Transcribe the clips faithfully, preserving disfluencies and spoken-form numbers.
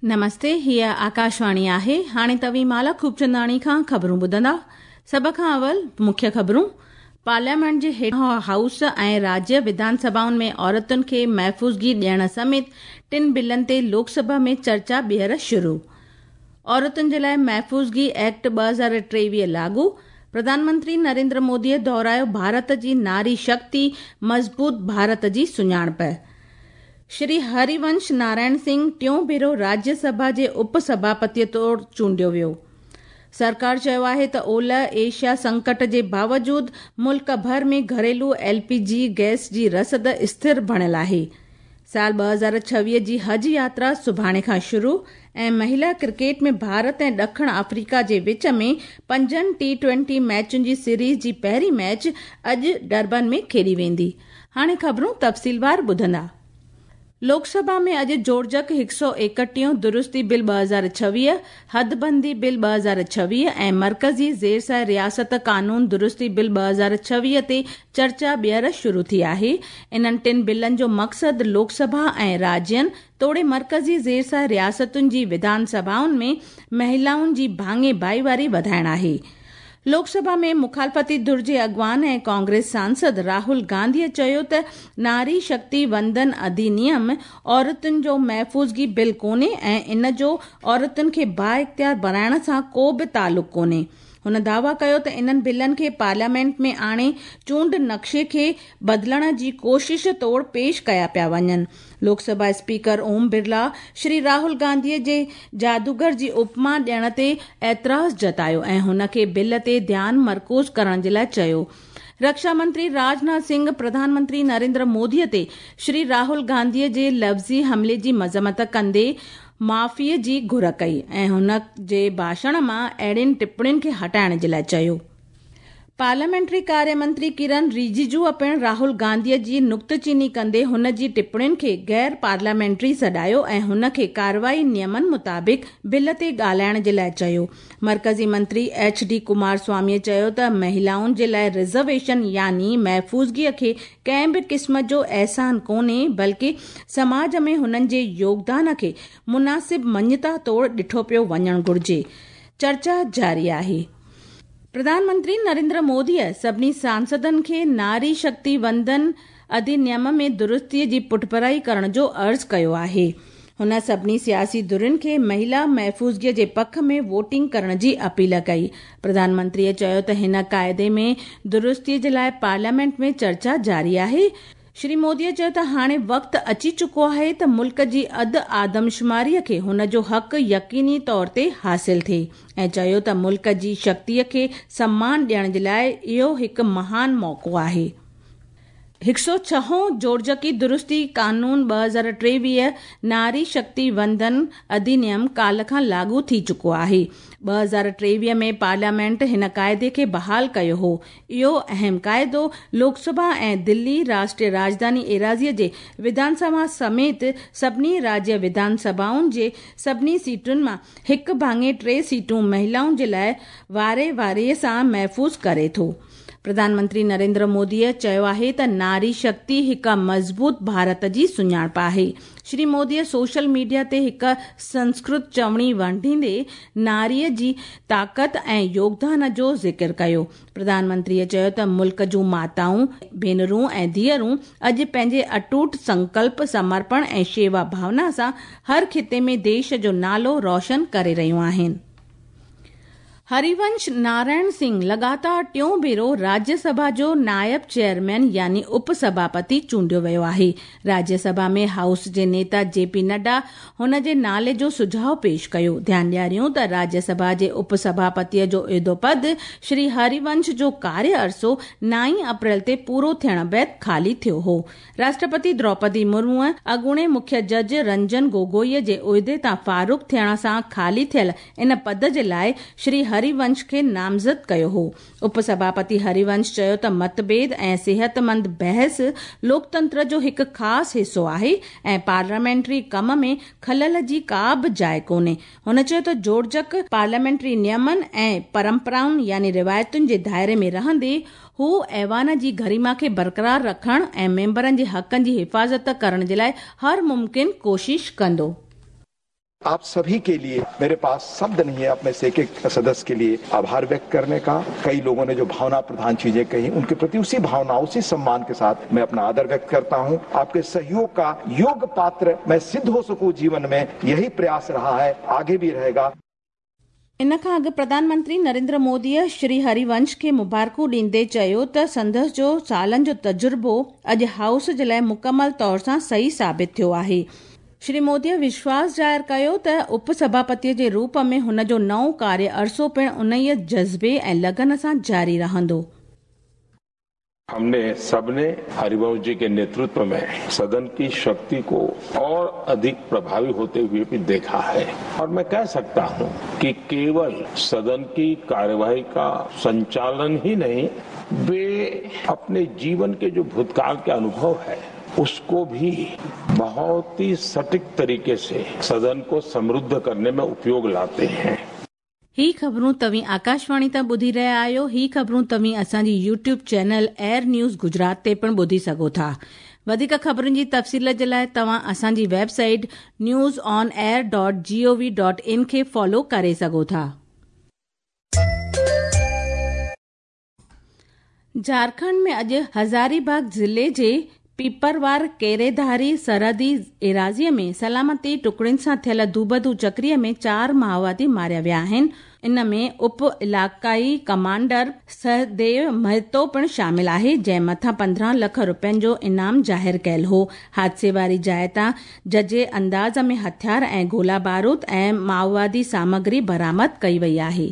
नमस्ते, हीअ आकाशवाणी आहे। हाणे तव्हीं माला खूबचंदाणी खां ख़बरूं ॿुधंदा। सभ खां अवल मुख्य ख़बरूं। पार्लियामेंट जे हेठ हाउस ऐं राज्य विधानसभाउनि में औरतुनि खे महफ़ूज़गी ॾियण समेत टिनि बिलनि ते लोकसभा में चर्चा ॿीहर शुरू। औरतुनि जे लाइ महफ़ूज़गी एक्ट ॿ हज़ार टेवीह लागू। प्रधानमंत्री नरेंद्र मोदीअ दोहरायो भारत जी नारी शक्ति मज़बूत भारत जी सुञाणप। श्री हरिवंश नारायण सिंह टियों भेरो राज्यसभा जे उपसभापतीअ तौर चूंडियो वियो। सरकार चयो आहे त ओलह एशिया संकट जे बावजूद मुल्क भर में घरेलू एल पी जी गैस जी रसद स्थिर बणियल आहे। साल ॿ हज़ार छवीह जी हज यात्रा सुभाणे खां शुरू ऐं महिला क्रिकेट में भारत ऐं ॾखिण अफ्रीका जे विच में पंजनि टी ट्वेंटी मैचुनि जी सीरीज़ जी पहिरीं मैच अॼु डरबन में खेॾी वेंदी। हाणे ख़बरूं तफ़सीलवार ॿुधंदा। लोकसभा में अॼु जोड़जक हिकु सौ एकटीहों दुरुस्ती बिल ॿ हज़ार छवीह, हदबंदी बिल ॿ हज़ार छवीह ऐं मर्कज़ी ज़ेर रियासत कानून दुरुस्ती बिल ॿ हज़ार छवीह ते चर्चा ॿीहर शुरू थी आहे। इन्हनि टिनि बिलनि जो मक़सदु लोकसभा ऐं राज्यनि तोड़े मर्कज़ी ज़ेर रियासतुनि जी विधानसभाउनि में महिलाउनि जी भाङे भाईवारी वधाइण आहे। लोकसभा में मुखालफ़ती धुर जे अॻवान ऐं कांग्रेस सांसद राहुल गांधीअ चयो त नारी शक्ति वंदन अधिनियम औरतुनि जो महफ़ूज़गी बिल कोन्हे ऐं इन जो औरतुनि खे बाइख़्तियार बणाइण सां को बि तालुक़ कोन्हे। हुन दावा कयो त इन्हनि बिलनि खे पार्लियामेंट में आणे चूंड नक्शे खे बदिलण जी कोशिश तौर पेश कया पिया वञनि। लोकसभा स्पीकर ओम बिरला श्री राहुल गांधीअ जे जादूगर जी उपमा ॾियण ते एतिराज़ जतायो ऐं हुन खे बिल ते ध्यानु मरकूज़ करण जे लाइ चयो। रक्षा मंत्री राजनाथ सिंह प्रधानमंत्री नरेंद्र मोदीअ ते श्री राहुल गांधीअ जे लफ़्ज़ी हमले जी मज़म्मत कंदे माफ़ीअ जी घुर कई ऐं हुन जे भाषण मां अहिड़ियुनि टिप्पणियुनि खे हटाइण जे लाइ चयो। पार्लियामेंट्री कार्य मंत्री किरण रिजिजू पिणु राहुल गांधीअ जी नुक्तचीनी कंदे हुन जी टिप्पणियुनि खे गैर पार्लियामेंट्री सॾायो ऐं हुन खे कार्रवाई नियमनि मुताबिक़ बिल ते ॻाल्हाइण जे लाइ चयो। मर्कज़ी मंत्री एच डी कुमार स्वामीअ चयो त महिलाउनि जे लाइ रिज़र्वेशन यानी महफ़ूज़गीअ खे कंहिं बि क़िस्म जो अहसान कोन्हे, बल्कि समाज में हुननि जे योगदान खे मुनासिब मञता तौर ॾिठो पियो वञणु घुरिजे। चर्चा जारी आहे। प्रधानमंत्री नरेंद्र मोदीअ सभिनी सांसदनि खे नारी शक्ति वंदन अधिनियम में दुरुस्तीअ जी पुठभराई करण जो अर्ज़ु कयो आहे। हुन सभिनी सियासी धुरियुनि खे महिला महफ़ूज़गीअ जे पख में वोटिंग करण जी अपील कई। प्रधानमंत्रीअ चयो त हिन काइदे में दुरुस्तीअ जे लाइ पार्लियामेंट में चर्चा जारी आहे। श्री मोदीअ चयो त हाणे वक़्तु अची चुको आहे त मुल्क जी अधु आदमशुमारीअ खे हुन जो हक़ यकीनी तौर ते हासिल थिए ऐं चयो त मुल्क जी शक्तिअ खे सम्मान ॾियण जे लाइ इहो हिकु महान मौक़ो आहे। हिकु सौ छहों जोड़जकी दुरुस्ती कानून ॿ हज़ार टेवीह नारी शक्ति वंदन अधिनियम काल खां लागू थी चुको आहे। ॿ हज़ार टेवीह में पार्लियामेंट हिन काइदे खे बहाल कयो हो। इहो अहम काइदो लोकसभा ऐं दिल्ली राष्ट्रीय राजधानी एराज़ीअ जे विधानसभा समेत सभिनी राज्य विधानसभाउनि जे सभिनी सीटुनि मां हिकु भाङे टे सीटूं महिलाउनि जे लाइ वारे वारे सां महफ़ूज़ करे थो। प्रधानमंत्री नरेंद्र मोदीअ चयो आहे त नारी शक्ति हिकु मज़बूत भारत जी सुञाणप आहे। श्री मोदीअ सोशल मीडिया ते हिकु संस्कृत चवणी वंडींदे नारीअ जी ताक़त ऐं योगदान जो ज़िक्र कयो। प्रधानमंत्रीअ चयो त मुल्क जूं माताऊं, भेनरूं ऐं धीअरूं अॼु पंहिंजे अटूट संकल्प, समर्पण ऐं शेवा भावना सां हर ख़िते में देश जो नालो रोशन करे रहियूं आहिनि। हरिवंश नारायण सिंह लगातार टियों भेरो राज्यसभा जो नायब चेयरमैन यानी उपसभापति चूंडियो वियो आहे। राज्यसभा में हाउस जे नेता जे पी नड्डा हुन जे नाले जो सुझाव पेश कयो। ध्यानु ॾियारियूं त राज्यसभा जे उपसभापतीअ जो उहिदो पद श्री हरिवंश जो कार्य अरसो नाई अप्रैल ते पूरो थियण बाद खाली थियो हो। राष्ट्रपति द्रौपदी मुर्मूअ अॻूणे मुख्य जज रंजन गोगोईअ जे उहिदे तां फ़ारुग़ थियण सां खाली थियल इन पद जे लाइ श्री हरिवंश खे नामज़द कयो हो। उपसभापति हरिवंश चयो त मतभेद ऐं सिहतमंद बहस लोकतंत्र जो हिकु ख़ासि हिसो आहे ऐं पार्लियामेंट्री कम में ख़लल जी का बि जाइ कोन्हे। हुन चयो त जोड़जक पार्लियामेंट्री नियमनि ऐं परंपराउनि यानी रिवायतुनि जे दायरे में रहंदे हू ऐवान जी गरिमा खे बरक़रार रखण ऐं मेंबरनि जे हक़नि जी हिफ़ाज़त करण जे लाइ हर मुमकिन कोशिश कंदो। आप सभी के लिए मेरे पास शब्द नहीं है अपने से एक सदस्य के लिए आभार व्यक्त करने का। कई लोगों ने जो भावना प्रधान चीजें कही उनके प्रति उसी भावना उसी सम्मान के साथ मैं अपना आदर व्यक्त करता हूं। आपके सहयोग का योग्य पात्र मैं सिद्ध हो सकूं जीवन में, यही प्रयास रहा है, आगे भी रहेगा। इन खां अॻु प्रधानमंत्री नरेंद्र मोदीअ श्री हरिवंश खे मुबारकूं ॾींदे चयो त संदसि जो सालनि जो तजुर्बो अॼु हाउस जे लाइ मुकमल तौर सां सही साबित थियो आहे। श्री मोदीअ विश्वास ज़ाहिर कयो त उपसभापतीअ जे रूप में हुन जो नओं कार्य अरसो पिणु उन जज़्बे ऐं लगन सां जारी रहंदो। हमने सबने हरिवंश जी के नेतृत्व में सदन की शक्ति को और अधिक प्रभावी होते हुए भी देखा है और मैं कह सकता हूं कि केवल सदन की कार्यवाही का संचालन ही नहीं, वे अपने जीवन के जो भूतकाल के अनुभव है उसको भी बहुत ही सटीक तरीके से सदन को समृद्ध करने में उपयोग लाते हैं। ही ख़बरूं तव्हीं आकाशवाणी तां ॿुधी रहिया आहियो। ही ख़बरूं तव्हीं असांजी YouTube channel Air News Gujarat ते पिणु ॿुधी सघो था। वधीक ख़बरुनि जी तफ़सील जे लाइ तव्हां असांजी website news on air dot G O V dot in खे फॉलो करे सघो था। झारखंड में अॼु हज़ारीबाग ज़िले जे पीपरवार केरेधारी सरहदी एराज़ीअ में सलामती टुकड़ियुनि सां थियल दूबदू चक्रीअ में चार माओवादी मारिया विया आहिनि। इन में उप इलाइक़ाई कमांडर सहदेव महतो पिणु शामिल आहे, जंहिं मथां पंद्रहं लख रुपयनि जो इनाम ज़ाहिर कयल हो। हादसे वारी जाइ तां जजे अंदाज़ में हथियार ऐं गोला बारूद ऐं माओवादी सामग्री बरामद कई वई आहे।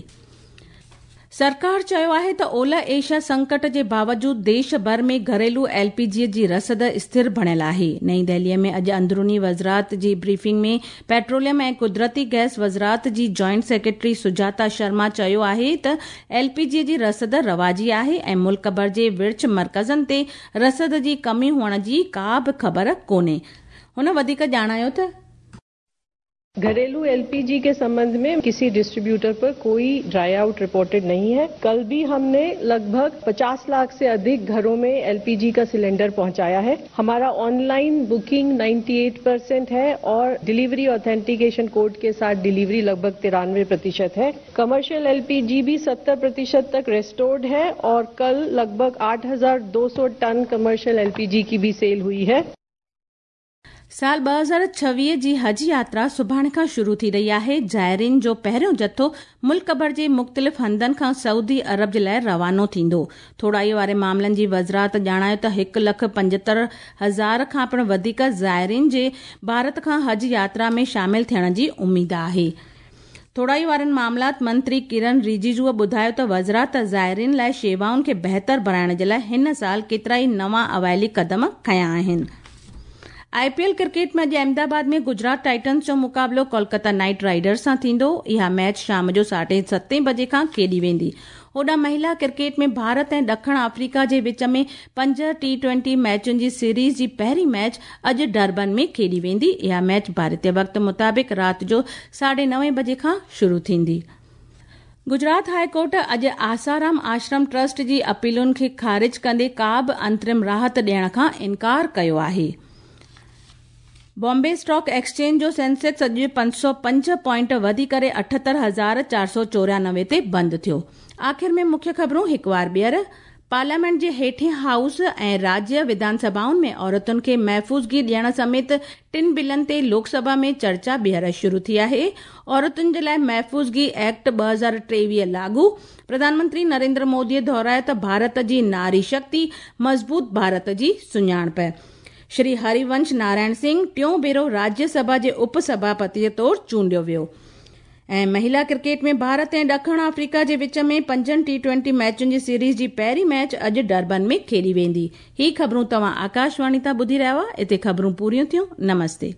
सरकार चयो आहे त ओलह एशिया संकट जे बावजूद देश भर में घरेलू एल पी जी जी रसद स्थिर बणियल आहे। नई दिल्लीअ में अॼु अंदरूनी वज़ारत जी ब्रीफिंग में पेट्रोलियम ऐं कुदरती गैस वज़ारत जी जॉइंट सेक्रेटरी सुजाता शर्मा चयो आहे त एल पी जी जी रसद रवाजी आहे ऐं मुल्क भर जे विर्छ मर्कज़नि ते रसद जी कमी हुअण जी का बि ख़बर कोन्हे। हुन वधीक ॼाणायो त घरेलू एलपीजी के संबंध में किसी डिस्ट्रीब्यूटर पर कोई ड्राई आउट रिपोर्टेड नहीं है। कल भी हमने लगभग पचास लाख से अधिक घरों में एलपीजी का सिलेंडर पहुंचाया है। हमारा ऑनलाइन बुकिंग अट्ठानवे परसेंट है और डिलीवरी ऑथेंटिकेशन कोड के साथ डिलीवरी लगभग तिरानवे प्रतिशत है। कमर्शियल एलपीजी भी सत्तर प्रतिशत तक रेस्टोर्ड है और कल लगभग आठ हजार दो सौ टन कमर्शियल एलपीजी की भी सेल हुई है। साल ॿ हज़ार छवीह जी हज यात्रा सुभाणे खां शुरू थी रही आहे। ज़ाइरीन जो पहिरियों जथो मुल्क भर जे मुख़्तलिफ़ हंधनि खां सऊदी अरब जे लाइ रवानो थींदो। थोराई वारे मामलनि जी वज़ारत ॼाणायो त हिकु लख पंजहतरि हज़ार खां पिणु वधीक ज़ाइरीन जे भारत खां हज यात्रा में शामिल थियण जी उमेद आहे। थोराई वारनि मामलात मंत्री किरण रिजिजूअ ॿुधायो त वज़ारत ज़ाइरीन लाइ शेवाउनि खे बहितर बणाइण जे लाइ हिन साल केतिरा ई नवां अवाइली कदम खयां आहिनि। I P L cricket में अॼु अहमदाबाद में गुजरात टाइटन्स जो मुक़ाबिलो कोलकाता नाइट राइडर्स सां थींदो। इहा मैच शाम जो साढे सतें बजे खां खेॾी वेंदी। होॾां महिला क्रिकेट में भारत ऐं ॾखिण आफ्रीका जे विच में पंज टी ट्वेंटी मैचुनि जी सीरीज़ जी पहिरीं मैच अॼु डरबन में खेॾी वेंदी। इहा मैच भारतीय वक़्त मुताबिक़ राति जो साढे नवे बजे खां शुरू थींदी। गुजरात हाई कोर्ट अॼु आसाराम आश्रम ट्रस्ट जी अपीलुनि खे ख़ारिज कंदे का बि अंतरिम राहत ॾियण खां इनकार कयो आहे। बॉम्बे स्टॉक एक्सचेंज जो सेंसेक्स अॼु पंज सौ पंज पॉइंट वधी करे अठहतरि हज़ार चारि सौ चोरानवे ते बंदि थियो। आख़िर में मुख्य ख़बरूं हिकु वार ॿीहर। पार्लियामेंट जे हेठे हाउस ऐं राज्य विधानसभाउनि में औरतुनि खे महफ़ूज़गी ॾियण समेत टिनि बिलनि ते लोकसभा में चर्चा ॿीहर शुरू थी आहे। औरतुनि जे लाइ महफ़ूज़गी एक्ट ॿ हज़ार टेवीह लागू। प्रधानमंत्री नरेंद्र मोदीअ दोहरायो त भारत जी नारी शक्ति मज़बूत भारत जी सुञाणप। श्री हरिवंश नारायण सिंह टियों भेरो राज्यसभा जे उपसभापतीअ तौर चूंडियो वियो। ऐं महिला क्रिकेट में भारत ऐं ॾखिण आफ्रीका जे विच में पंजनि टी ट्वेंटी मैचुनि जी सीरीज़ जी पहिरीं मैच अॼु डरबन में खेॾी वेंदी। ही ख़बरूं तव्हां आकाशवाणी तां ॿुधी रहिया हुआ। हिते ख़बरूं पूरियूं थियूं। नमस्ते।